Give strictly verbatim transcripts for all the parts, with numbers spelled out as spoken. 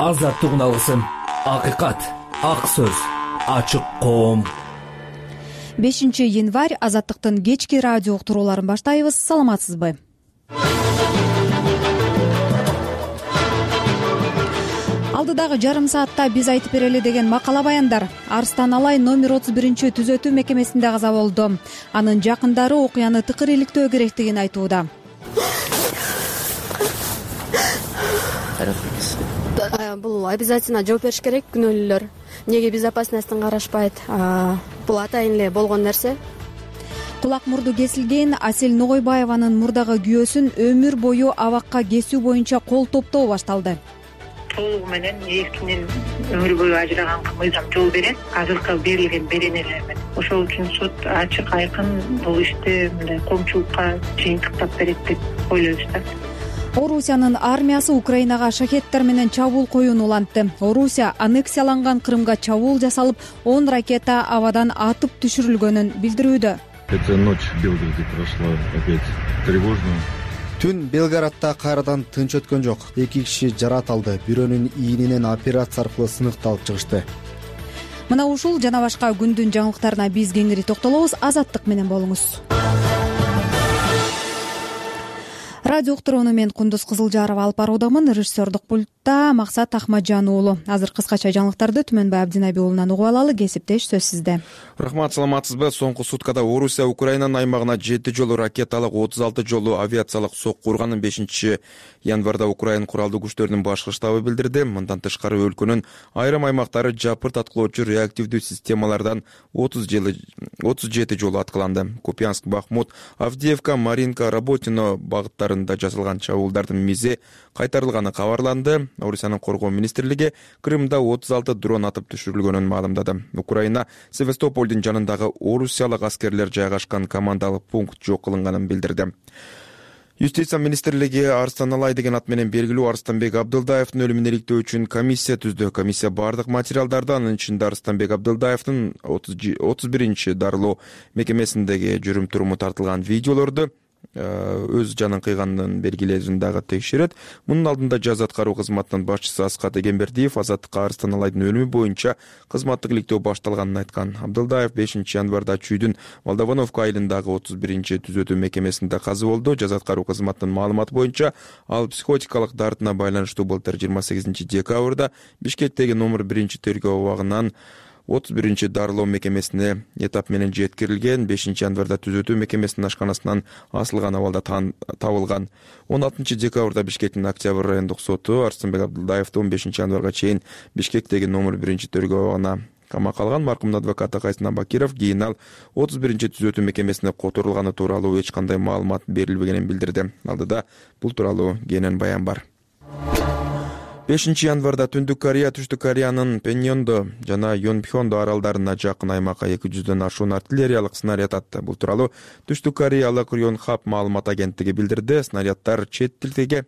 азаттык алгысым, акыйкат, ак сөз, ачык коом. бешинчи январь азаттыктын кечки радио уктурууларын баштайбыз. Саламатсызбы? Алдыдагы жарым саатта биз айтып берели деген макала баяндар. Арстан Алай номер отуз биринчи түзөтүү мекемесинде каза болду. Анын жакындары окуяны тыкыр иликтөө керектигин айтууда. Бул обязательно жооп бериш керек күнөөлүүлөр. Неге безопасностьтун карашпайт? Бул атайын эле болгон нерсе. Кулак мурду кесилген Асель Ногойбаеванын мурдагы күйөөсүн өмүр бою абакка кесүү боюнча кол топтоо башталды. Толугу менен эскинен өмүр бою ажыраганга мыйзам жол берет. Азыркы берилген беренелер менен. Ошол үчүн суд ачык айкын бул ишти мындай коомчулукка жыйынтыктап берет деп ойлойбуз да. Орусиянын армиясы Украинага шахеттер менен чабуул коюун улантты. Орусия аннексияланган Крымга чабуул жасалып, он ракета абадан атып түшүрүлгөнүн билдирүүдө. Эта ночь в Белгороде прошла опять тревожно. Түн Белгороддо кайрадан тынч өткөн жок. Эки киши жаратылды. Бирөөнүн ийининен операция аркылуу сыныкты алып чыгышты. Мына ушул жана башка күндүн жаңылыктарына биз кеңири токтолобуз. Азаттык менен болуңуз. Радио уктурууну мен Кундуз Кызылжарова алып баруудамын. Режиссердук пультта Максат Ахмаджан уулу. Азыр кыскача жаңылыктарды Түмөнбай Абдинаби уулунан угуп алалы. Кесиптеш сөз сизде. Рахмат, саламатсызбы? Соңку суткада Орусия Украинанын аймагына жети жолу ракеталык, отуз алты жолу авиациялык сокку урганын бешинчи январда Украин куралдуу күчтөрүнүн башкы штабы билдирди. Мындан тышкары өлкөнүн айрым аймактары жапырт аткылоочу реактивдүү системалардан отуз жети жолу аткыланды. Купянск, Бахмут, Авдеевка, Маринка, Работино багыттарында жасалган чабуулдардын мизи кайтарылганы кабарланды. Орусиянын коргоо министрлиги Крымда отуз алты дрон атып түшүрүлгөнүн маалымдады. Украина Севастополдун жанындагы орусиялык аскерлер жайгашкан командалык пункт жок кылынганын билдирди. Юстиция министрлиги Арстан Алай деген ат менен белгилүү Арстанбек Абдылдаевдин өлүмүн иликтөө үчүн комиссия түздү. Комиссия бардык материалдарды, анын ичинде Арстанбек Абдылдаевдин отуз биринчи дарылоо мекемесиндеги жүрүм туруму тартылган видеолорду өз жанын кыйганын белгилерин дагы текшерет. Мунун алдында жаза аткаруу кызматынын башчысы Аскат Эгембердиев Азаттыкка Арстан Алайдын өлүмү боюнча кызматтык иликтөө башталганын айткан. Абдылдаев бешинчи январда Чүйдүн Молдовановка айылындагы отуз биринчи түзөтүү мекемесинде каза болду. Жаза аткаруу кызматынын маалыматы боюнча ал психотикалык дартына байланыштуу былтыр жыйырма сегизинчи декабрда Бишкектеги номер биринчи тергөө абагынан отуз биринчи дарылоо мекемесине этап менен жеткирилген. бешинчи январда түзөтүү мекемесинин ашканасынан асылган абалда табылган. он алтынчы декабрда Бишкектин Октябрь райондук соту Арстанбек Абдылдаевди он бешинчи январга чейин Бишкектеги номер биринчи тергөө абагына камакка алган. Маркумдун адвокаты Кайсын Абакиров кийин ал отуз биринчи түзөтүү мекемесине которулганы тууралуу эч кандай маалымат берилбегенин билдирди. Алдыда бул тууралуу кенен баян бар. бешинчи январда Түндүк Корея Түштүк Кореянын Пеньондо жана Йонпхёндо аралдарына жакын аймакка эки жүздөн ашуун артиллериялык снаряд атты. Бул тууралуу Түштүк Кореялык Рёнхап маалымат агенттиги билдирди. Снаряддар чет тилге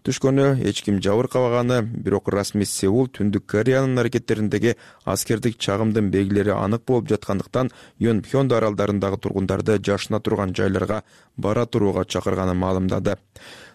түшкөнү эч ким жабыркабаганы, бирок расмий Сеул Түндүк Кореянын аракеттериндеги аскердик чагымдын белгилери анык болуп жаткандыктан Йонпхёндо аралдарындагы тургундарды жашына турган жайларга бара турууга чакырганын маалымдады.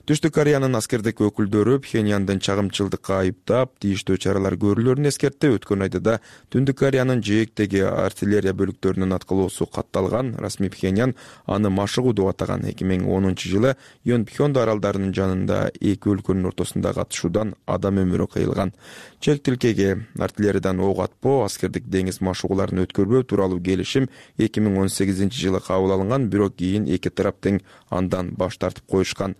Түштүк Кореянын аскердик өкүлдөрү Пхеньяндын чагымчылдыкка айыптап, тийиштүү чаралар көрүлөрүн эскертти. Өткөн айда Түндүк Кореянын жээктеги артиллерия бөлүктөрүнүн аткылоосу катталган. Расмий Пхеньян аны машыгуу деп атаган. эки миң онунчу жылы Йонпхёндо аралдарынын жанында эки өлкөнүн ортосундагы атышуудан адам өмүрү кыйылган. Чек тилкеге артиллериядан ок атпоо, аскердик деңиз машыгууларын өткөрбөө тууралуу келишим эки миң он сегизинчи жылы кабыл алынган, бирок кийин эки тарап тең андан баш тартып коюшкан.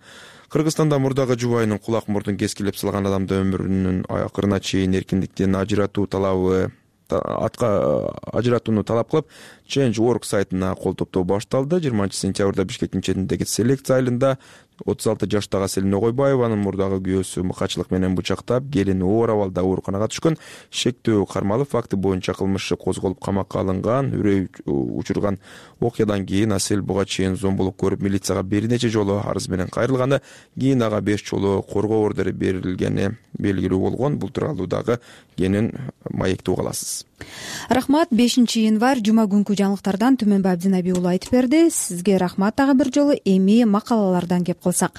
Кыргызстанда мурдагы жубайынын кулак мурдун кескилеп салган адамды өмүрүнүн акырына чейин эркиндиктен ажыратуу талабы атка ажыратууну талап кылып, Change точка org сайтына кол топтоо башталды. жыйырманчы сентябрда Бишкектин четиндеги селекция айылында отуз алты жаштагы Асель Ногойбаеванын мурдагы күйөөсү мыкачылык менен бычактап, келини оор абалда ооруканага түшкөн. Шектөө кармалып факты боюнча кылмыш козголуп камакка алынган. Үрөй учурган окуядан кийин Асель буга чейин зомбулук көрүп милицияга бир нече жолу арыз менен кайрылганы, кийин ага беш жолу коргоо ордери берилгени белгилүү болгон. Бул тууралуу дагы кенен маекти уга аласыз. Рахмат. бешинчи январь жума күнкү жаңылыктардан Түмөнбай Абдинаби уулу айтып берди. Сизге рахмат. Дагы бир жолу эми макалалардан кеп калсак.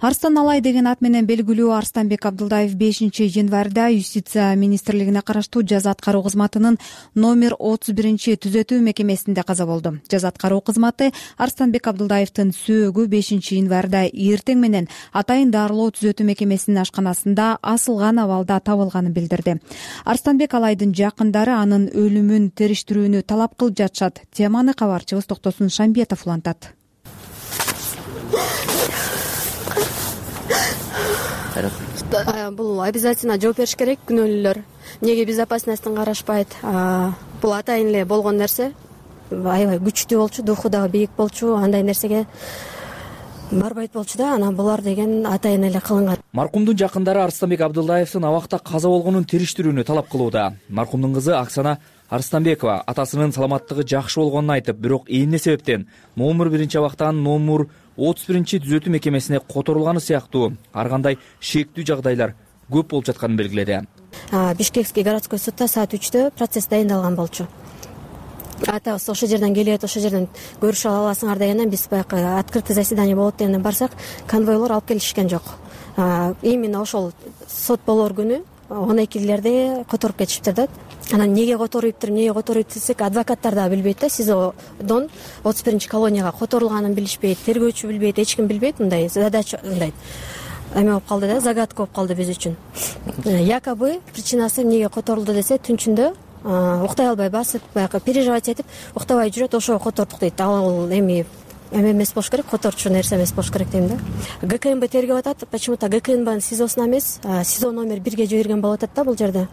Арстан Алай деген ат менен белгилүү Арстанбек Абдылдаев бешинчи январда Юстиция министрлигине караштуу жаза аткаруу кызматынын номер отуз биринчи түзөтүү мекемесинде каза болду. Жаза аткаруу кызматы Арстанбек Абдылдаевдин сөөгү бешинчи январда эртең менен Атайын дарылоо түзөтүү мекемесинин ашканасында асылган абалда табылганын билдирди. Арстанбек Алайдын жакындары анын өлүмүн териштирүүнү талап кылып жатышат. Теманы кабарчыбыз Токтосун Шамбетов улантат. Бул обязательно жооп бериш керек. Күнөөлүүлөр эмнеге безопасностьтун карашпайт? Бул атайын эле болгон нерсе. Аябай күчтүү болчу, духу дагы бийик болчу, андай нерсеге барбайт болчу да, анан булар деген атайын эле кылынган. Маркумдун жакындары Арстанбек Абдылдаевдин абакта каза болгонун териштирүүнү талап кылууда. Маркумдун кызы Оксана Арстанбекова атасынын саламаттыгы жакшы болгонун айтып, бирок эмне себептен номер биринчи абактан номер отуз биринчи түзөтүү мекемесине которулганы сыяктуу ар кандай шектүү жагдайлар көп болуп жатканын белгиледи. Бишкекский городской судта саат үчтө процесс дайындалган болчу. Атабыз ошол жерден келет, ошол жерден көрүшүп аласыңар дегенден биз баягы открытый заседание болот дегенден барсак, конвойлор алып келишкен жок. Именно ошол сот болор күнү он экилерде которуп кетишиптир да. Анан эмнеге которуптур, эмнеге которуп десек, адвокаттар да билбейт да, СИЗОдон отуз биринчи колонияга которулганын билишпейт, тергөөчү билбейт, эч ким билбейт. Мындай задача мындай эме болуп калды да, загадка болуп калды биз үчүн. Якобы причинасы эмнеге которулду десе, түнчүндө уктай албай басып, баягы переживать этип, уктабай жүрөт, ошого котордук дейт. Ал эми эме эмес болуш керек, которчу нерсе эмес болуш керек дейм да. ГКМБ тергеп атат, почему-то ГКМБнын СИЗОсуна эмес, СИЗО номер бирге жиберген болуп атат да бул жерде.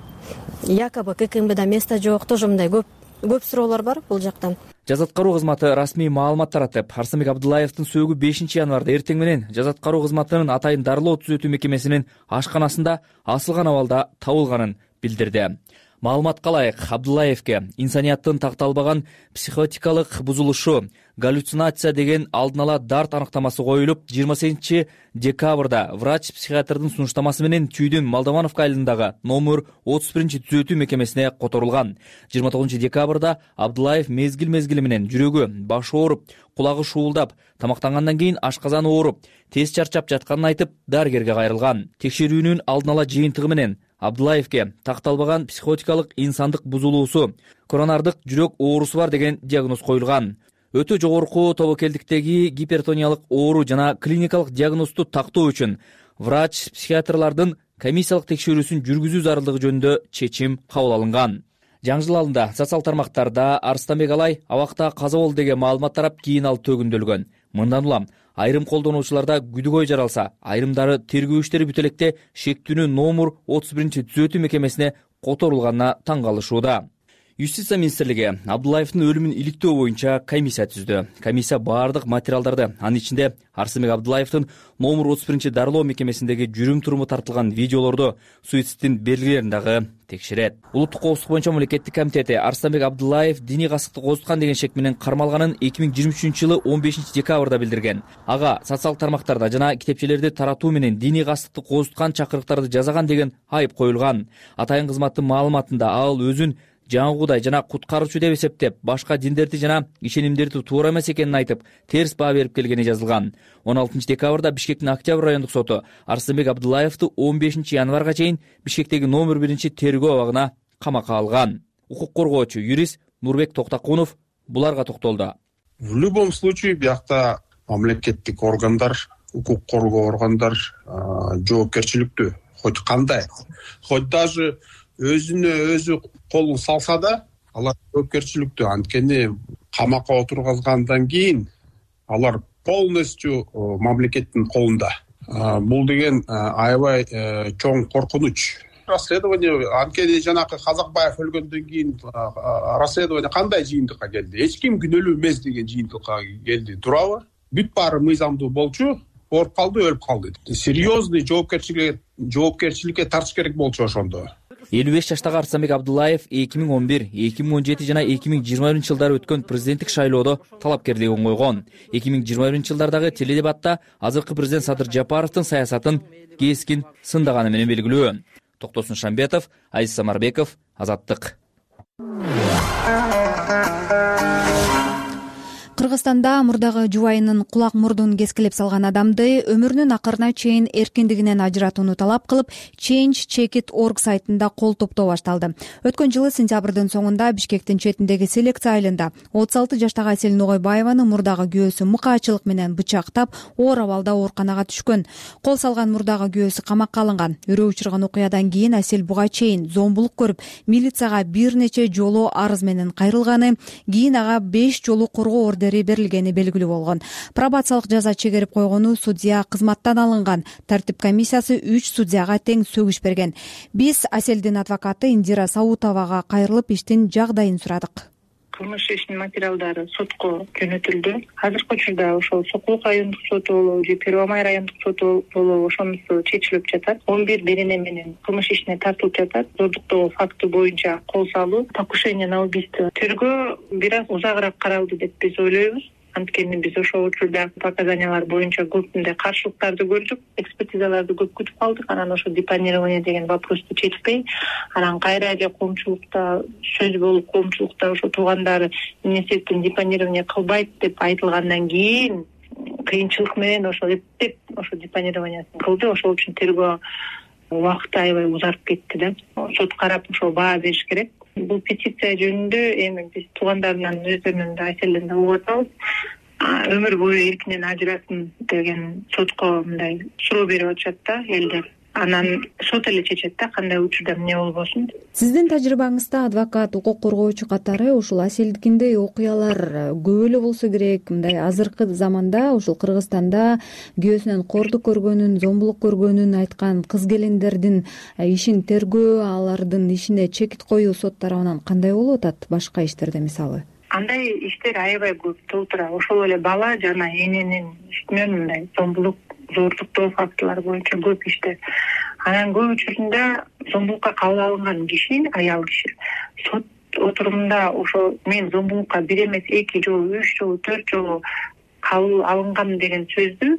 Якобы ГКМБда место жок, тоже мындай көп көп суроолор бар бул жактан. Жаза аткаруу кызматы расмий маалымат таратып, Арстанбек Абдылдаевдин сөөгү бешинчи январда эртең менен жаза аткаруу кызматынын Атайын дарылоо түзөтүү мекемесинин ашканасында асылган абалда табылганын билдирди. Маалыматка ылайык, Абдылдаевке инсанияттын такталбаган психотикалык бузулушу, галлюцинация деген алдын ала дарт аныктамасы коюлуп, жыйырма сегизинчи декабрда врач-психиатрдын сунуштамасы менен Чүйдүн Молдовановка айылындагы номер отуз биринчи түзөтүү мекемесине которулган. жыйырма тогузунчу декабрда Абдылдаев мезгил-мезгили менен жүрөгү, башы ооруп, кулагы шуулдап, тамактангандан кийин ашказаны ооруп, тез чарчап жатканын айтып, дарыгерге кайрылган. Текшерүүнүн алдын ала жыйынтыгы менен Абдылдаевке такталбаган психотикалык инсандык бузулуусу, коронардык жүрөк оорусу бар деген диагноз коюлган. Өтө жогорку тобокелдиктеги гипертониялык оору жана клиникалык диагнозду тактоо үчүн врач-психиатрлардын комиссиялык текшерүүсүн жүргүзүү зарылдыгы жөнүндө чечим кабыл алынган. Жаңы жыл алдында социал тармактарда Арстанбек Алай абакта каза болду деген маалымат тарап, кийин ал төгүндөлгөн. Мындан улам айрым колдонуучуларда күдүгөй жаралса, айрымдары тергөө иштери бүтө электе шектүүнүн номер отуз биринчи түзөтүү мекемесине которулганына таң калышууда. Юстиция министрлиги Абдылдаевдин өлүмүн иликтөө боюнча комиссия түздү. Комиссия баардык материалдарды, анын ичинде Арстанбек Абдылдаевдин номер отуз биринчи дарылоо мекемесиндеги жүрүм-туруму тартылган видеолорду, суицидтин белгилерин дагы текшерет. Улуттук коопсуздук боюнча мамлекеттик комитети Арстанбек Абдылдаев диний касыкты козуткан деген шек менен кармалганын эки миң жыйырма үчүнчү жылы он бешинчи декабрда билдирген. Ага социал тармактарда жана китепчелерди таратуу менен диний касыкты козуткан чакырыктарды жасаган деген айып коюлган. Атайын кызматтын маалыматында ал өзүн жаңгудай жана куткаруучу деп эсептеп, башка диндерди жана ишенимдерди туура эмес экенин айтып, терс баа берип келгени жазылган. он алтынчы декабрда Бишкектин Октябрь райондук соту Арстанбек Абдылдаевди он бешинчи январга чейин Бишкектеги номер биринчи тергөө абагына камакка алган. Укук коргоочу юрист Нурбек Токтакунов буларга токтолду. В любом случае биякта мамлекеттик органдар, укук коргоо органдар жоопкерчиликтүү. Хоть кандай, хоть даже өзүнө өзү колун салса да, алар жоопкерчиликтүү. Анткени камакка отургазгандан кийин алар полностью мамлекеттин колунда. Бул деген аябай чоң коркунуч. Расследование анткени жанакы Казакбаев өлгөндөн кийин расследование кандай жыйынтыкка келди? Эч ким күнөөлүү эмес деген жыйынтыкка келди. Туурабы? Бүт баары мыйзамдуу болчу, ооруп калды, өлүп калды. Серьезный жоопкерчиликке жоопкерчиликке тартыш керек болчу ошондо. элүү беш жаштагы Арстанбек Абдылдаев эки миң он бир, эки миң он жети жана эки миң жыйырма биринчи жылдары өткөн президенттик шайлоодо талапкерлигин койгон. эки миң жыйырма биринчи жылдардагы теледебатта азыркы президент Садыр Жапаровдун саясатын кескин сындаганы менен белгилүү. Токтосун Шамбетов, Азиз Самарбеков, Азаттык. Кыргызстанда мурдагы жубайынын кулак мурдун кескилеп салган адамды өмүрүнүн акырына чейин эркиндигинен ажыратууну талап кылып Change Check It точка org сайтында кол топтоо башталды. Өткөн жылы сентябрдын соңунда Бишкектин четиндеги селекция айылында отуз алты жаштагы Асель Ногойбаеваны мурдагы күйөөсү мыкаачылык менен бычактап оор абалда ооруканага түшкөн. Кол салган мурдагы күйөөсү камакка алынган. Үрөө учурган окуядан кийин Асель буга чейин зомбулук көрүп, милицияга бир нече жолу арыз менен кайрылганы, кийин ага беш жолу коргоо ордери берилгени белгилүү болгон. Пробациялык жаза чегерип койгону судья кызматтан алынган. Тартип комиссиясы үч судьяга тең сөгүш берген. Биз Аселдин адвокаты Индира Саутовага кайрылып иштин жагдайын сурадык. Кылмыш ишинин материалдары сотко жөнөтүлдү. Азыркы учурда ошол Сокулук райондук соту болобу же Первомай райондук соту болобу ошонусу чечилип жатат. он бир берене менен кылмыш ишине тартылып жатат. Зордуктоо факты боюнча кол салуу, покушение на убийство. Тергөө бир аз узагыраак каралды деп биз ойлойбуз. Анткени биз ошол учурда показаниялар боюнча көп мындай каршылыктарды көрдүк, экспертизаларды көп күтүп калдык. Анан ошо депонирование деген вопросту чечпей, анан кайра эле коомчулукта сөз болуп, коомчулукта ошо туугандары министрликтен депонирование кылбайт деп айтылгандан кийин кыйынчылык менен ошо эптеп ошо депонированиясын кылды. Ошол үчүн тергөө убакыты аябай узарып кетти да. Сот карап ошо баа бериш керек. Бул петиция жөнүндө эми биз туугандарынан өздөрүнөн да Аселден да угуп атабыз. Өмүр бою эркинен ажырасын деген сотко мындай суроо берип атышат да элдер. Анан сот эле чечет да кандай учурда эмне болбосун. Сиздин тажрыйбаңызда адвокат, укук коргоочу катары ушул Аселдикиндей окуялар көп эле болсо керек. Мындай азыркы заманда ушул Кыргызстанда күйөөсүнөн кордук көргөнүн, зомбулук көргөнүн айткан кыз келиндердин ишин тергөө, алардын ишине чекит коюу сот тарабынан кандай болуп атат башка иштерде мисалы? Андай иштер аябай көп толтура. Ошол эле бала жана эненин үстүнөн мындай зомбулук, зордуктоо фактылары боюнча көп иштер. Анан көп учурунда зомбулукка кабыл алынган киши, аял киши, сот отурумунда ошо мен зомбулукка бир эмес эки жолу, үч жолу, төрт жолу кабыл алынган деген сөздү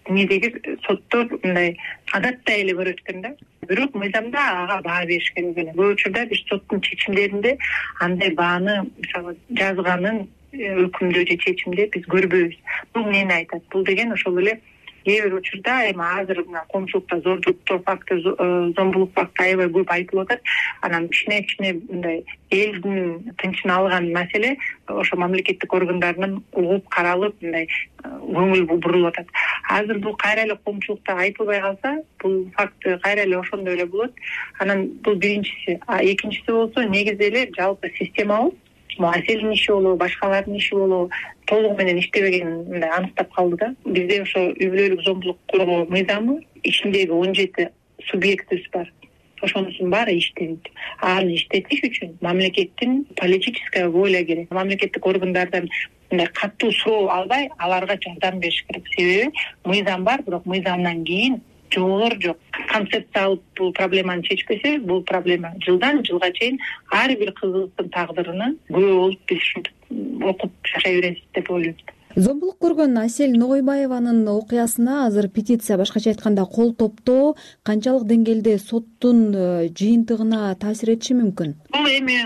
эмнедеги соттор мындай адаттай эле көрөт экен да. Бирок мыйзамда ага баа бериш керек эле. Көп учурда биз соттун чечимдеринде андай бааны мисалы жазганын өкүмдө же чечимде биз көрбөйбүз. Бул эмнени айтат? Бул деген ошол эле кээ бир учурда эми азыр мына коомчулукта зордуктоо факты, зомбулук факты аябай көп айтылып атат. Анан кичине кичине мындай элдин тынчын алган маселе ошо мамлекеттик органдарынын угуп каралып мындай көңүл бурулуп атат. Азыр бул кайра эле коомчулукта айтылбай калса, бул факты кайра эле ошондой эле болот. Анан бул биринчиси. А экинчиси болсо негизи эле жалпы системабыз Аселдин иши болобу, башкалардын иши болобу толугу менен иштебегенин мындай аныктап калды да. Бизде ошо үй бүлөлүк зомбулук коргоо мыйзамы ичиндеги он жети субъектибиз бар. Ошонусунун баары иштебейт. Аны иштетиш үчүн мамлекеттин политическая воля керек. Мамлекеттик органдардан мындай катуу суроо албай, аларга жардам бериш керек. Себеби мыйзам бар, бирок мыйзамдан кийин жолдор жок. Концепция алып бул проблеманы чечпесе, бул проблема жылдан жылга чейин ар бир кызыбыздын тагдырына күбө болуп биз ушинтип окуп жашай беребиз деп ойлойм. Зомбулук көргөн Асель Ногойбаеванын окуясына азыр петиция, башкача айтканда кол топтоо канчалык деңгээлде соттун жыйынтыгына таасир этиши мүмкүн? Бул эми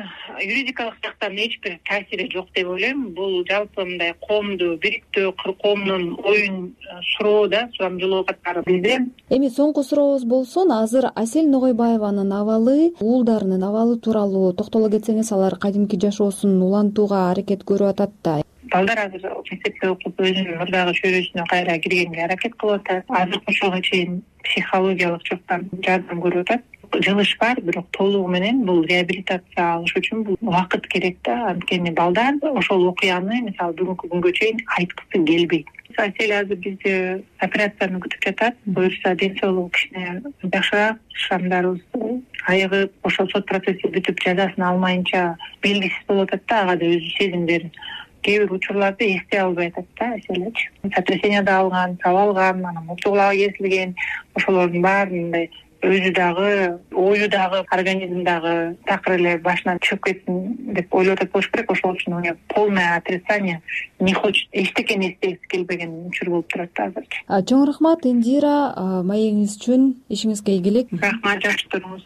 юридикалык жактан эч бир таасири жок деп ойлойм. Бул жалпы мындай коомду бириктөө, коомдун оюн суроо да, сурамжылоо катары бизде. Эми соңку сурообуз болсун, азыр Асель Ногойбаеванын абалы, уулдарынын абалы тууралуу токтоло кетсеңиз, алар кадимки жашоосун улантууга аракет көрүп атат да. Балдар азыр мектепте окуп өзүнүн мурдагы чөйрөсүнө кайра киргенге аракет кылып атат. Азыркы учурга чейин психологиялык жактан жардам көрүп атат. Жылыш бар, бирок толугу менен бул реабилитация алыш үчүн бул убакыт керек да. Анткени балдар ошол окуяны мисалы бүгүнкү күнгө чейин айткысы келбейт. Асель азыр бизде операцияны күтүп жатат. Буюрса ден соолугу кичине жакшыраак, шамдарыбыз айыгып, ошол сот процесси бүтүп жазасын алмайынча белгисиз болуп атат да, ага да өзү сезимдерин кээ бир учурларда эстей албай атат да Аселич. Сотрясение да алган, тап алган, анан мурту кулагы кесилген, ошолордун баарын мындай өзү дагы, ою дагы, организм дагы такыр эле башынан чыгып кетсин деп ойлоп атат болуш керек. Ошол үчүн у полное отрицание, не хочет, эчтекени эстегиси келбеген учур болуп турат азырчы. Чоң рахмат Индира, маегиңиз үчүн, ишиңизге ийгилик. Рахмат, жакшы туруңуз.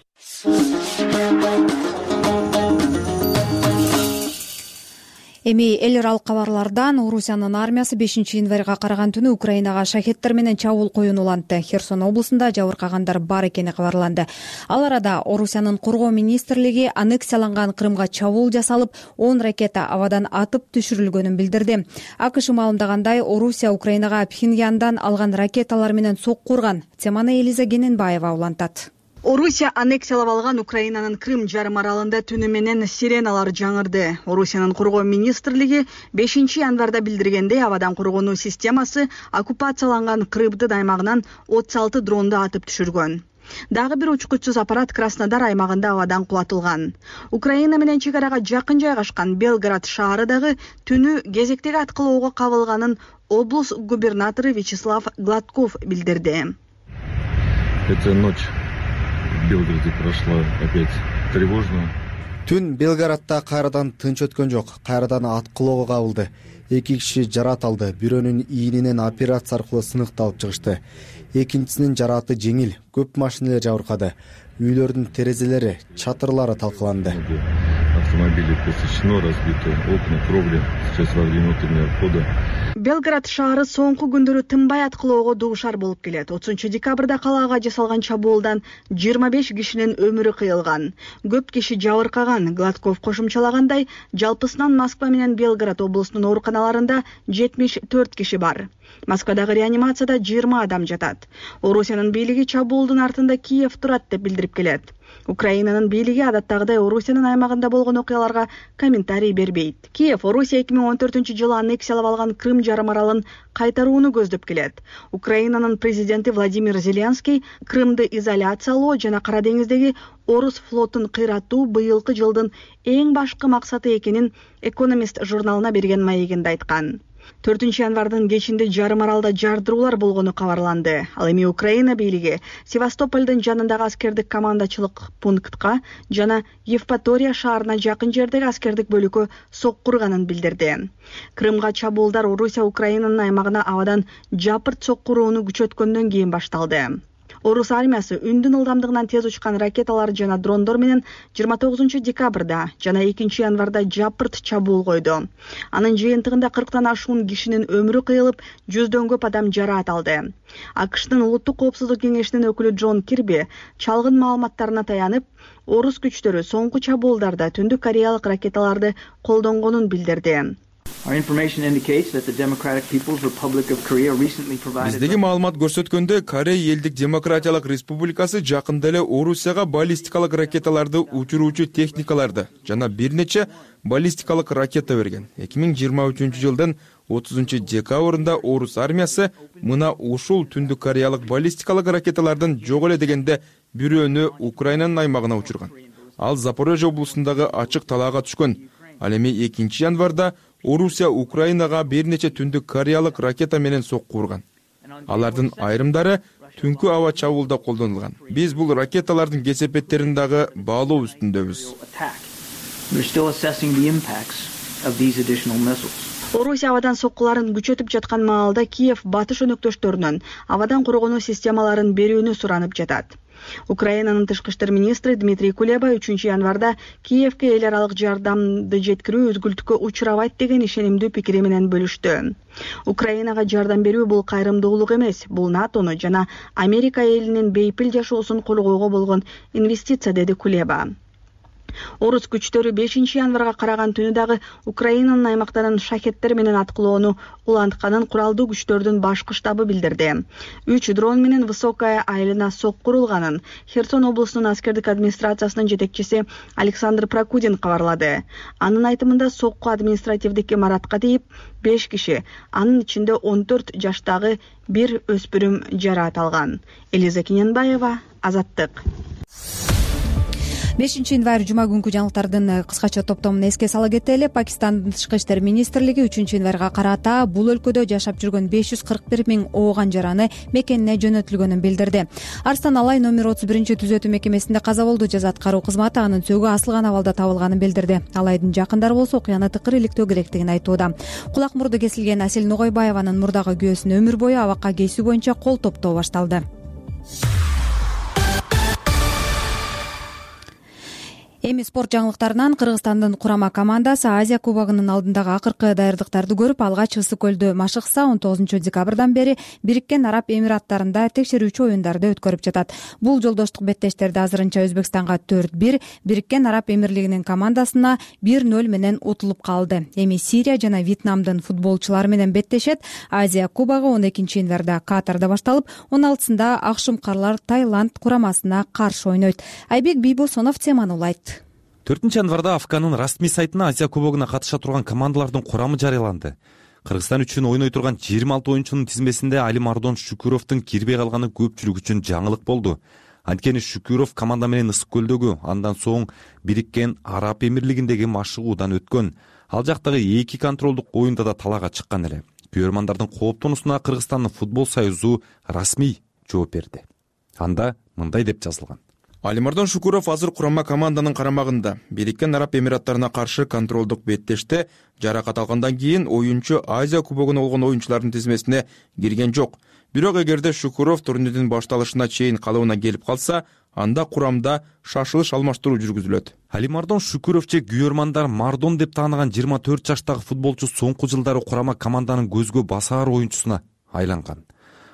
Эми эл аралык кабарлардан Орусиянын армиясы бешинчи январга караган түнү Украинага шахеттер менен чабуул коюун улантты. Херсон облусунда жабыркагандар бар экени кабарланды. Ал арада Орусиянын коргоо министрлиги аннексияланган Крымга чабуул жасалып, он ракета абадан атып түшүрүлгөнүн билдирди. АКШ маалымдагандай, Орусия Украинага Пхеньяндан алган ракеталар менен сокку урган. Теманы Элиза Гененбаева улантат. Орусия аннексиялап алган Украинанын Крым жарым аралында түнү менен сиреналар жаңырды. Орусиянын коргоо министрлиги бешинчи январда билдиргендей, абадан коргонуу системасы оккупацияланган Крымдын аймагынан отуз алты дронду атып түшүргөн. Дагы бир учкучсуз аппарат Краснодар аймагында абадан кулатылган. Украина менен чек арага жакын жайгашкан Белград шаары дагы түнү кезектеги аткылоого кабылганын облус губернатору Вячеслав Гладков билдирди. Эта ночь в Белгороде прошла опять тревожно. Түн Белгородто кайрадан тынч өткөн жок. Кайрадан аткылоого кабылды. Эки киши жарат алды. Бирөөнүн ийининен операция аркылуу сыныкталып алып чыгышты. Экинчисинин жараты жеңил. Көп машиналар жабыркады. Үйлөрдүн терезелери, чатырлары талкаланды. Автомобили посечено, разбиты окна, кровли. Сейчас во время утреннего обхода. Белград шаары соңку күндөрү тынбай аткылоого дуушар болуп келет. отузунчу декабрда калаага жасалган чабуулдан жыйырма беш кишинин өмүрү кыйылган. Көп киши жабыркаган. Гладков кошумчалагандай, жалпысынан Москва менен Белгород облусунун ооруканаларында жетимиш төрт киши бар. Москвадагы реанимацияда жыйырма адам жатат. Орусиянын бийлиги чабуулдун артында Киев турат деп билдирип келет. Украинанын бийлиги адаттагыдай Орусиянын аймагында болгон окуяларга комментарий бербейт. Киев Орусия эки миң он төртүнчү жылы аннексиялап алган Крым жарым аралын кайтарууну көздөп келет. Украинанын президенти Владимир Зеленский Крымды изоляциялоо жана Кара деңиздеги Орус флотун кыйратуу быйылкы жылдын эң башкы максаты экенин Экономист журналына берген маегинде айткан. төртүнчү январдын кечинде жарым аралда жардыруулар болгону кабарланды. Ал эми Украина бийлиги Севастополдун жанындагы аскердик командачылык пунктка жана Евпатория шаарына жакын жердеги аскердик бөлүккө сокку урганын билдирди. Крымга чабуулдар Орусия Украинанын аймагына абадан жапырт сокку урууну күчөткөндөн кийин башталды. Орус армиясы үндүн ылдамдыгынан тез учкан ракеталар жана дрондор менен жыйырма тогузунчу декабрда жана экинчи январда жапырт чабуул койду. Анын жыйынтыгында кырктан ашуун кишинин өмүрү кыйылып, жүздөн көп адам жараат алды. АКШтын улуттук коопсуздук кеңешинин өкүлү Джон Кирби чалгын маалыматтарына таянып, орус күчтөрү соңку чабуулдарда Түндүк Кореялык ракеталарды колдонгонун билдирди. Биздеги маалымат көрсөткөндө, Корея элдик демократиялык республикасы жакында эле Орусияга баллистикалык ракеталарды учуруучу техникаларды жана бир нече баллистикалык ракета берген. эки миң жыйырма үчүнчү жылдын отузунчу декабрында Орус армиясы мына ушул Түндүк Кореялык баллистикалык ракеталардын жок эле дегенде бирөөнү Украинанын аймагына учурган. Ал Запорожье облусундагы ачык талаага түшкөн. Ал эми экинчи январда Орусия Украинага бир нече Түндүк Кореялык ракета менен сокку урган. Алардын айрымдары түнкү аба чабуулда колдонулган. Биз бул ракеталардын кесепеттерин дагы баалоо үстүндөбүз. Орусия абадан соккуларын күчөтүп жаткан маалда Киев батыш өнөктөштөрүнөн абадан коргонуу системаларын берүүнү суранып жатат. Украинанын тышкы иштер министри Дмитрий Кулеба үчүнчү январда Киевке эл аралык жардамды жеткирүү үзгүлтүккө учурабайт деген ишенимдүү пикири менен бөлүштү. Украинага жардам берүү бул кайрымдуулук эмес, бул НАТОну жана Америка элинин бейпил жашоосун колгоого болгон инвестиция, деди Кулеба. Орус күчтөрү бешинчи январга караган түнү дагы Украинанын аймактарын шахеттер менен аткылоону улантканын куралдуу күчтөрдүн башкы штабы билдирди. Үч дрон менен высокая айылына сокку урулганын Херсон облусунун аскердик администрациясынын жетекчиси Александр Прокудин кабарлады. Анын айтымында сокку административдик имаратка тийип, беш киши, анын ичинде он төрт жаштагы бир өспүрүм жараат алган. Элиза Гененбаева, Азаттык. бешинчи январь жума күнкү жаңылыктардын кыскача топтомун эске сала кетели. Пакистандын тышкы иштер министрлиги үчүнчү январга карата бул өлкөдө жашап жүргөн беш жүз кырк бир миң ооган жараны мекенине жөнөтүлгөнүн билдирди. Арстан Алай номер отуз биринчи түзөтүү мекемесинде каза болду. Жаза аткаруу кызматы анын сөөгү асылган абалда табылганын билдирди. Алайдын жакындары болсо окуяны тыкыр иликтөө керектигин айтууда. Кулак мурду кесилген Асель Ногойбаеванын мурдагы күйөөсүн өмүр бою абакка кейсүү боюнча кол топтоо башталды. Эми спорт жаңылыктарынан Кыргызстандын курама командасы Азия кубогунун алдындагы акыркы даярдыктарды көрүп, алгач Ысык көлдө машыкса он тогузунчу декабрдан бери Бириккен Араб Эмираттарында текшерүүчү оюндарды өткөрүп жатат. Бул жолдоштук беттештерде азырынча Өзбекстанга төрт бир, Бириккен Араб Эмирлигинин командасына бир ноль менен утулуп калды. Эми Сирия жана Вьетнамдын футболчулары менен беттешет. Азия кубогу он экинчи январда Катарда башталып, он алтысында Акшумкарлар Таиланд курамасына каршы ойнойт. Айбек Бийбосунов теманы улайт. төртүнчү январда АФКнын расмий сайтына Азия кубогуна катыша турган командалардын курамы жарыяланды. Кыргызстан үчүн ойной турган жыйырма алты оюнчунун тизмесинде Алимардон Шүкүровдун кирбей калганы көпчүлүк үчүн жаңылык болду. Анткени Шүкүров команда менен Ысык көлдөгү, андан соң Бириккен Араб Эмирлигиндеги машыгуудан өткөн. Ал жактагы эки контролдук оюнда да талаага чыккан эле. Күйөрмандардын кооптонусуна Кыргызстандын футбол союзу расмий жооп берди. Анда мындай деп жазылган: Алимардон Шүкүров азыр курама команданын карамагында. Бириккен Араб Эмираттарына каршы контролдук беттеште жаракат алгандан кийин оюнчу Азия кубогуна болгон оюнчулардын тизмесине кирген жок. Бирок эгерде Шүкүров турнирдин башталышына чейин калыбына келип калса, анда курамда шашылыш алмаштыруу жүргүзүлөт. Алимардон Шүкүров же күйөрмандар Мардон деп тааныган жыйырма төрт жаштагы футболчу соңку жылдары курама команданын көзгө басаар оюнчусуна айланган.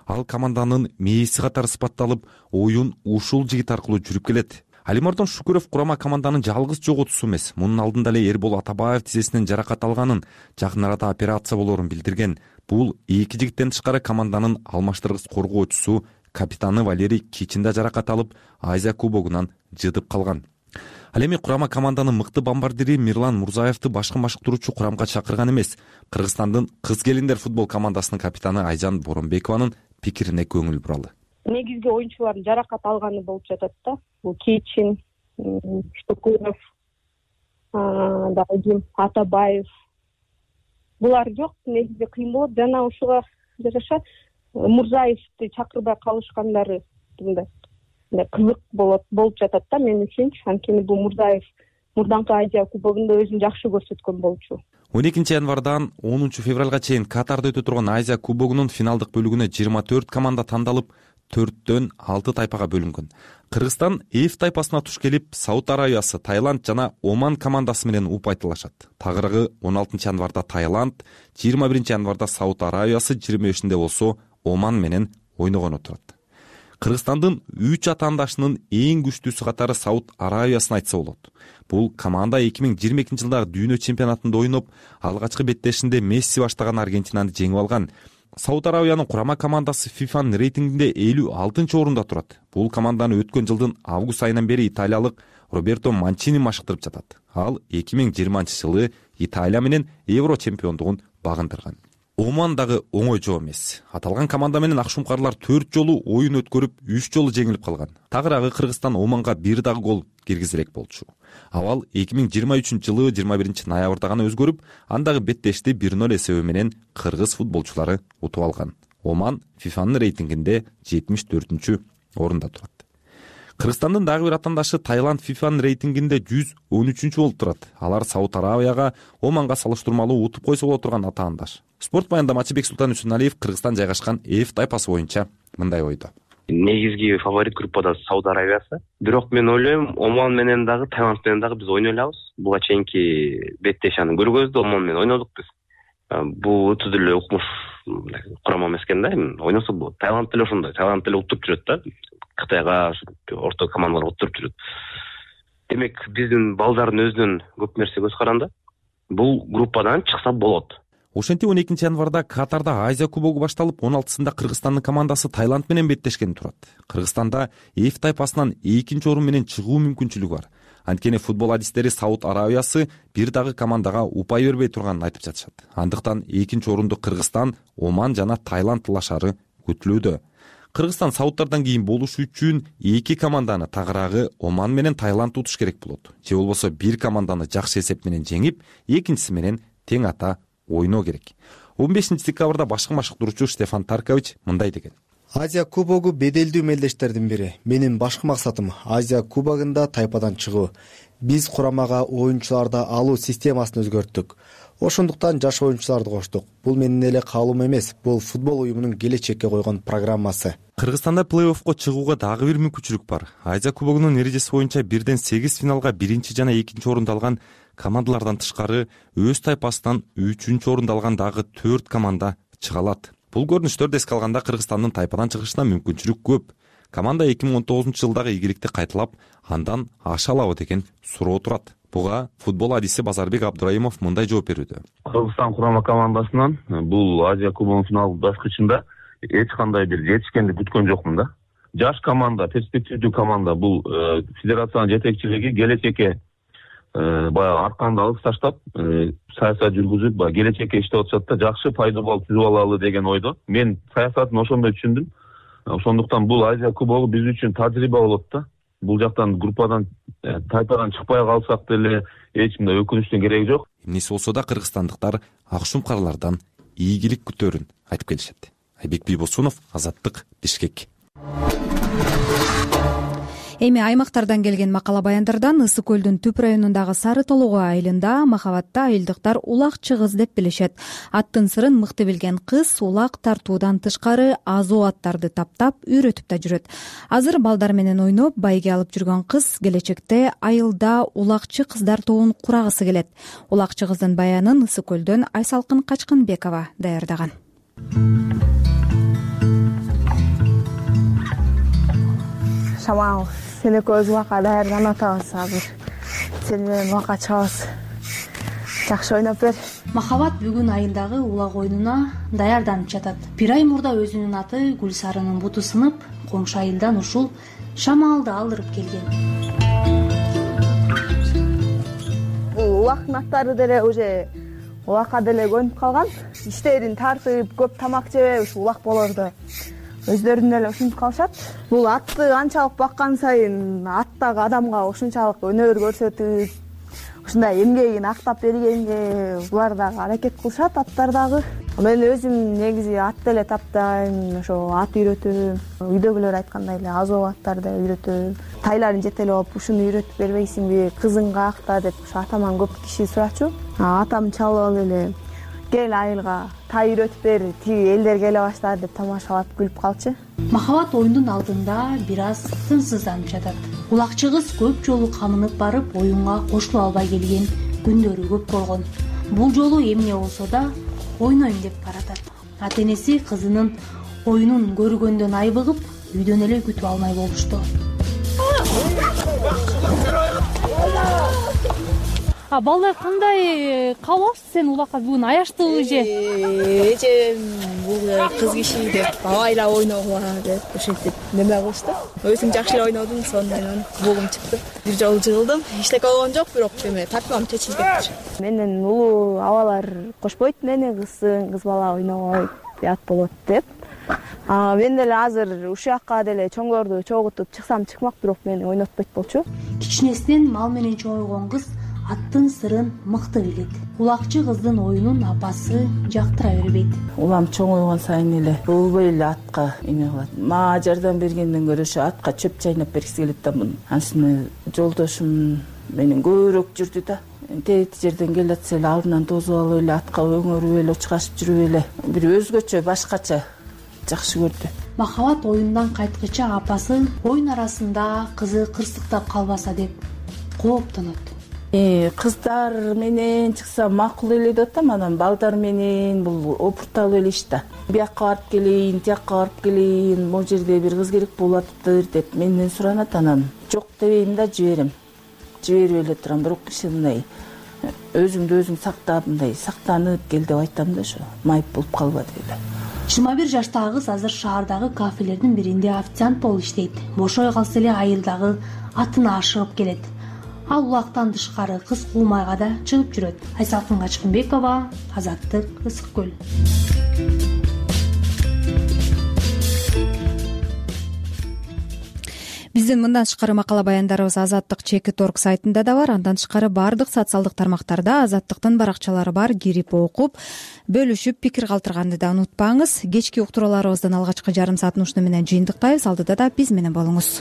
Ал команданын мээси катары сыпатталып, оюн ушул жигит аркылуу жүрүп келет. Алимардон Шүкүров курама команданын жалгыз жоготуусу эмес. Мунун алдында эле Эрбол Атабаев тизесинен жаракат алганын, жакын арада операция болоорун билдирген. Бул эки жигиттен тышкары команданын алмаштыргыс коргоочусу, капитаны Валерий Кичин да жаракат алып, Азия кубогунан жыдып калган. Ал эми курама команданын мыкты бомбардири Мирлан Мурзаевди башкы машыктыруучу курамга чакырган эмес. Кыргызстандын кыз келиндер футбол командасынын капитаны Айжан Боронбекованын пикирине көңүл буралы. Негизги оюнчулардын жаракат алганы болуп жатат да. Бул Кичин, Шүкүров, дагы Атабаев. Булар жок, негизи кыйын болот. Жана ушуга жараша Мурзаевди чакырбай калышкандары мындай кызык болот болуп жатат да мен үчүнчү. Анткени бул Мурзаев мурдаңкы Азия кубогунда өзүн жакшы көрсөткөн болчу. он экинчи январдан онунчу февралга чейин Катарда өтө турган Азия кубогунун финалдык бөлүгүнө жыйырма төрт команда тандалып, төрттөн алты тайпага бөлүнгөн. Кыргызстан Эф тайпасына туш келип, Сауд Арабиясы, Таиланд жана Оман командасы менен упайтылашат. Тагыраагы он алтынчы январда Таиланд, жыйырма биринчи январда Сауд Арабиясы, жыйырма бешинде болсо Оман менен ойногону турат. Кыргызстандын үч атаандашынын эң күчтүүсү катары Сауд Арабиясын айтса болот. Бул команда эки миң жыйырма экинчи жылдагы дүйнө чемпионатында ойноп, алгачкы беттешинде Месси баштаган Аргентинаны жеңип алган. Сауд Арабиянын курама командасы фифанын рейтингинде элүү алтынчы орунда турат. Бул команданы өткөн жылдын август айынан бери италиялык Роберто Манчини машыктырып жатат. Ал эки миң жыйырманчы жылы Италия менен Евро чемпиондугун багындырган. Оман дагы оңой жоо эмес. Аталган команда менен Акшумкарлар төрт жолу оюн өткөрүп, үч жолу жеңилип калган. Тагыраагы Кыргызстан Оманга бир дагы гол киргизерек болчу. Авал эки миң жыйырма үчүнчү жылы жыйырма биринчи ноябрда гана өзгөрүп, андагы беттешти бир ноль эсеби менен кыргыз футболчулары утуп алган. Оман фифанын рейтингинде жетимиш төртүнчү орунда турат. Кыргызстандын дагы бир атаандашы Таиланд фифанын рейтингинде жүз он үчүнчү болуп турат. Алар Сауд Арабияга, Оманга салыштырмалуу утуп койсо боло турган атаандаш. Спорт баяндамачы Бексултан Үчүналиев Кыргызстан жайгашкан Эф тайпасы боюнча мындай ойдо. Негизги фаворит группада Сауд Арабиясы. Бирок мен ойлойм, Оман менен дагы, Таиланд менен дагы биз ойной алабыз. Буга чейинки беттешаны көргөздү, Оман менен ойнодук биз. Бул өтө деле укмуш курама эмес экен да, ойносо болот. Таиланд деле ошондой, Таиланд деле уттуруп жүрөт да. Кытайга, орто командалар уттуруп жүрөт. Демек, биздин балдардын өзүнөн көп нерсе көз каранды. Бул группадан чыкса болот. Ошентип он экинчи январда Катарда Азия кубогу башталып, он алтысында Кыргызстандын командасы Таиланд менен беттешкен турат. Кыргызстанда Эф тайпасынан экинчи орун менен чыгуу мүмкүнчүлүгү бар. Анткени футбол адистери Сауд Арабиясы бир дагы командага упай бербей турганын айтып жатышат. Андыктан экинчи орунду Кыргызстан, Оман жана Таиланд талашары күтүлүүдө. Кыргызстан Саудтардан кийин болуш үчүн эки команданы тагыраагы Оман менен Таиланд утуш керек болот. Же болбосо бир команданы жакшы эсеп менен жеңип, экинчиси менен тең ата ойноо керек. он бешинчи декабрда башкы машыктыруучу Стефан Таркович мындай деген: Азия кубогу беделдүү мелдештердин бири. Менин башкы максатым Азия кубогунда тайпадан чыгуу. Биз курамага оюнчуларды алуу системасын өзгөрттүк. Ошондуктан жаш оюнчуларды коштук. Бул менин эле каалоом эмес, бул футбол уюмунун келечекке койгон программасы. Кыргызстанда плей-оффко чыгууга дагы бир мүмкүнчүлүк бар. Азия кубогунун эрежеси боюнча бирден сегиз финалга биринчи жана экинчи орунду алган командалардан тышкары өз тайпасынан үчүнчү орунду алган дагы төрт команда чыга алат. Бул көрүнүштөрдү эске алганда Кыргызстандын тайпадан чыгышына мүмкүнчүлүк көп. Команда эки миң он тогузунчу жылдагы ийгиликти кайталап, андан аша алабы деген суроо турат. Буга футбол адиси Базарбек Абдурайымов мындай жооп берүүдө. Кыргызстан курама командасынан бул Азия кубогунун финал баскычында эч кандай бир жетишкенди күткөн жокмун да. Жаш команда, перспективдүү команда, бул федерациянын жетекчилиги келечекке баягы арканды алып таштап, саясат жүргүзүп, баягы келечекке иштеп атышат да, жакшы пайдубал түзүп алалы деген ойдо. Мен саясатын ошондой түшүндүм. Ошондуктан бул Азия кубогу биз үчүн тажрыйба болот да. Бул жактан группадан, тайпадан чыкпай калсак деле эч мындай өкүнүчтүн кереги жок. Эмнеси болсо да кыргызстандыктар акшум карлардан ийгилик күтөөрүн айтып келишет. Айбек Бийбосунов, Азаттык, Бишкек. Эми аймактардан келген макала баяндардан Ысык көлдүн Түп районундагы Сары Толугу айылында махабатта айылдыктар улакчы кыз деп билишет. Аттын сырын мыкты билген кыз улак тартуудан тышкары азуу аттарды таптап, үйрөтүп да жүрөт. Азыр балдар менен ойноп, байге алып жүргөн кыз келечекте айылда улакчы кыздар тобун курагысы келет. Улакчы кыздын баянын Ысык көлдөн Айсалкын Качкынбекова даярдаган. Шамал, сен экөөбүз убакка даярданып атабыз азыр. Сен менен убакка чыгабыз. Жакшы ойноп бер. Махабат бүгүн айылдагы улак оюнуна даярданып жатат. Бир ай мурда өзүнүн аты Гүлсарынын буту сынып, коңшу айылдан ушул Шамалды алдырып келген. Бул улактын аттары деле уже улакка деле көнүп калган. Иштерин тартып, көп тамак жебей ушу улак болорду. Өздөрүн эле ушинтип калышат. Бул атты канчалык баккан сайын аттагы адамга ошончалык өнөр көрсөтүп, ушундай эмгегин актап бергенге булар дагы аракет кылышат, аттар дагы. Мен өзүм негизи ат деле таптайм, ошо ат үйрөтөм. Үйдөгүлөр айткандай эле азоо аттарды үйрөтөм. Тайларын жетелеп, ушуну үйрөтүп бербейсиңби, кызың каякта деп ушу атаман көп киши сурачу. Атам чалып алып эле кел айылга тай үйрөтүп бер, тиги элдер келе баштады деп тамашалап күлүп калчу. Махабат оюндун алдында бир аз тынчсызданып жатат. Улакчы кыз көп жолу камынып барып оюнга кошулуп албай келген күндөрү көп болгон. Бул жолу эмне болсо да ойнойм деп баратат. Ата энеси кызынын оюнун көргөндөн айбыгып, үйдөн эле күтүп алмай болушту. А балдар кандай кабыл алыпсыз? Сен улакка бүгүн аяштыбы же? Эжем бул кыз киши деп абайла ойногула деп ошентип неме кылышты. Өзүм жакшы эле ойнодум, сондан бугум чыкты. Бир жолу жыгылдым. Эчтеке болгон жок, бирок эме тартпам чечилип кетти. Менен улуу абалар кошпойт мени кызсың, кыз бала ойнобойт, ят болот деп. А мен деле азыр ушул жакка деле чоңдорду чогултуп чыксам чыкмак, бирок мени ойнотпойт болчу. Кичинесинен мал менен чоңойгон кыз аттын сырын мыкты билет. Улакчы кыздын оюнун апасы жактыра бербейт. Улам чоңойгон сайын эле болбой эле атка эме кылат. Мага жардам бергенден көрө ошо атка чөп чайнап бергиси келет да муну. Анысыны жолдошум менен көбүрөөк жүрдү да. Тети жерден келатса эле алдынан тосуп алып эле атка өңөрүп эле чыгашып жүрүп эле бир өзгөчө башкача жакшы көрдү. Махабат оюндан кайткыча апасы оюн арасында кызы кырсыктап калбаса деп кооптонот. Э, кыздар менен чыкса макул эле деп атам, анан балдар менен бул опурталып эле иш да. Биякка барып келейин, тияка барып келейин, могу жерде бир кыз керек болуп атыптыр деп менден суранат, анан жок дебейм да жиберем. Жиберип эле турам, бирок киши мындай өзүңдү өзүң сактап, мындай сактанып кел деп айтам да, ошо майып болуп калба деп эле. жыйырма бир жаштагы кыз азыр шаардагы кафелердин биринде официант болуп иштейт. Бошой калса эле айылдагы атына ашыгып келет. Ал улактан тышкары кыз куулмайга да чыгып жүрөт. Айсалкын Качкынбекова, Азаттык, Ысык көл. Биздин мындан тышкары макала баяндарыбыз Азаттык чекит орг сайтында да бар. Андан тышкары баардык социалдык тармактарда Азаттыктын баракчалары бар. Кирип окуп, бөлүшүп, пикир калтырганды да унутпаңыз. Кечки уктурууларыбыздын алгачкы жарым саатын ушуну менен жыйынтыктайбыз. Алдыда да биз менен болуңуз.